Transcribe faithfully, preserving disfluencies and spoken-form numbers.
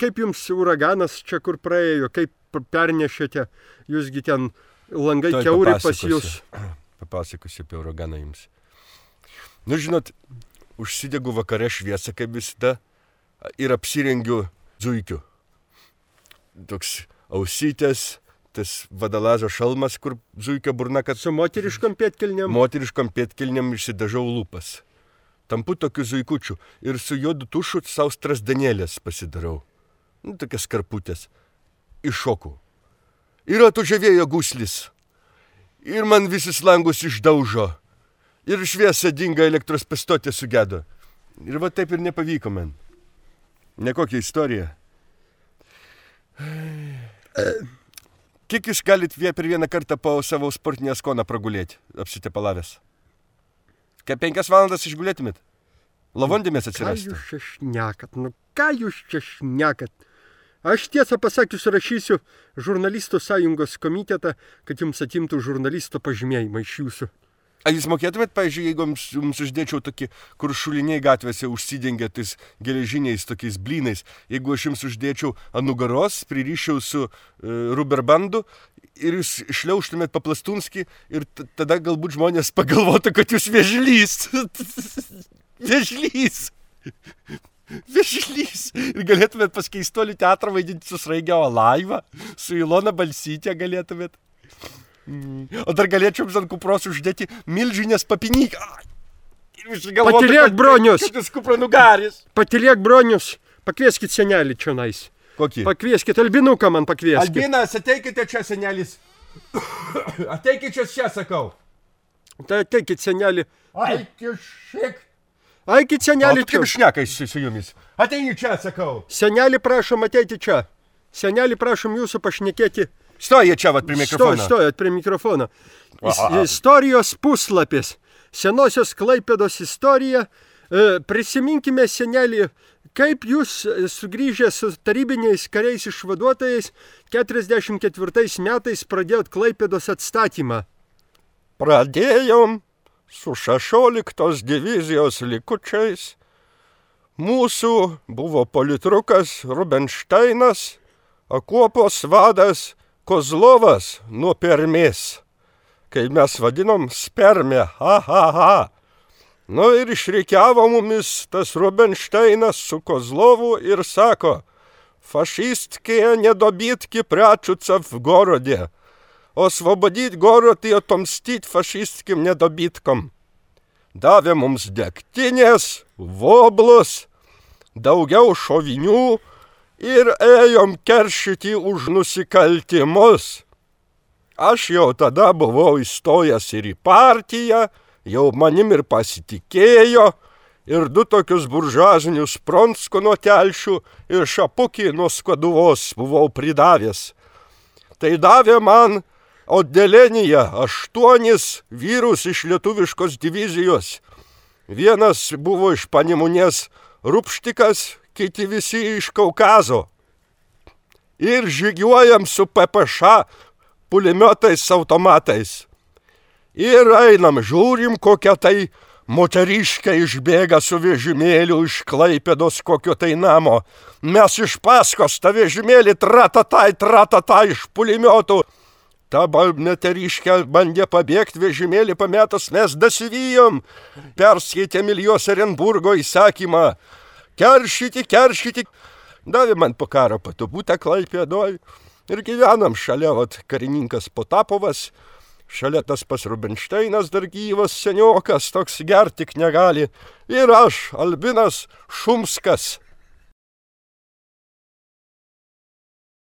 kaip jums uraganas čia kur praėjo, kaip pernešėte, jūsgi ten langai Tuoj kiauri pas papasakosiu. jūs. Papasakosiu apie uraganą jums. Nu, žinot, užsidegu vakare šviesą, kaip visada, ir apsirengiu zuikiu. Toks ausytės, tas vadalazo šalmas, kur zuikio burna, kad Su moteriškom pėtkelnėm. moteriškom pėtkelniam išsidažau lūpas. Tampu tokiu zuikučiu ir su juodu tušu savo strasdanėlės pasidarau. Nu, tokias karputės. Iššoku. Ir atvažiavėjo guslis. Ir man visus langus išdaužo. Ir šviesa dinga, elektros pastotė sugedo. Ir va taip ir nepavyko man. Nekokia istorija. Kiek jūs galit vie per vieną kartą po savo sportinę skoną pragulėti, apsitepalavęs? Kaip penkias valandas išgulėtumėt? Lavondėmės Ką atsirastų. jūs čia šnekat? Nu, ką jūs čia šnekat? Aš tiesą pasakius rašysiu žurnalistų sąjungos komitetą, kad jums atimtų žurnalisto pažymėjimą iš jūsų. A jūs mokėtumėt, pavyzdžiui, jeigu jums, jums uždėčiau tokį, kur šuliniai gatvėse užsidengia tais geležiniais tokiais blynais, jeigu aš jums uždėčiau ant nugaros, pririšiau su uh, ruberbandu ir jūs šliauštumėt paplastunskį ir t- tada galbūt žmonės pagalvotų, kad jūs vėžlys. Vėžlys. Vėžlys. Ir galėtumėt pas Keistuolių teatrą vaidinti su Sraigiavo laivą, su Ilona Balsytė galėtumėt. O dar galėčiau jums ant kupros uždėti milžinės papinyką. Patylėk, Bronius! Šitas kupranugaris. Patylėk, Bronius, pakvieskit senelį čionais. Kokį? Pakvieskit, Albinuką man pakvieskit. Albinas, ateikite čia, senelis. Ateikite čia, čia, sakau. Tai ateikit, senelį. Aiki šiek. Aikit, O senelį tu kaip čia. šneka su su jumis? Ateini čia, sakau. Senelį prašom ateiti čia. Senelį prašom jūsų pašnekėti. Stoja čia, vat, prie mikrofono. Stoj, stojat prie mikrofono. Is, Aha. istorijos puslapis. Senosios Klaipėdos istorija. E, prisiminkime, senelį, kaip jūs e, sugrįžę su tarybiniais kariais išvaduotojais keturiasdešimt ketvirtais metais pradėjot Klaipėdos atstatymą. Pradėjom su šešioliktos divizijos likučiais. Mūsų buvo politrukas Rubenšteinas, akuopos vadas Kozlovas nuo Permės, kai mes vadinom spermę, ha, ha, ha. Nu ir išreikiavo mumis tas Rubenšteinas su Kozlovu ir sako, fašistkie nedobitki pračuca v gorodė, osvobodyt gorod i otomstyt fašistkim nedobitkom. Davė mums degtinės, voblus, daugiau šovinių ir ėjom keršyti už nusikaltimus. Aš jau tada buvau įstojęs ir į partiją, jau manim ir pasitikėjo, ir du tokius buržuazinius Pronsko nuo telšių ir šapukį nuo Skaduvos buvau pridavęs. Tai davė man Oddelėnyje aštuonis vyrus iš lietuviškos divizijos. Vienas buvo iš Panemunės Rupštikas, kiti visi iš Kaukazo. Ir žygiuojam su P P Š pulimiotais automatais. Ir einam, žiūrim, kokia tai moteriškė išbėga su vežimėliu iš Klaipėdos kokio tai namo. Mes iš paskos tą vežimėlį tratatai, tratatai iš pulimiotų. Ta moteriškė bandė pabėgti vežimėlį pametus, mes dasivyjom. Perskaitėm Iljos Erenburgo įsakymą. Keršyti, keršyti. Davė man po karo patubutę Klaipėdoj. Ir gyvenam šalia, vat, karininkas Potapovas. Šalia tas pas Rubenšteinas dar gyvas seniokas, toks gerti tik negali. Ir aš, Albinas Šumskas.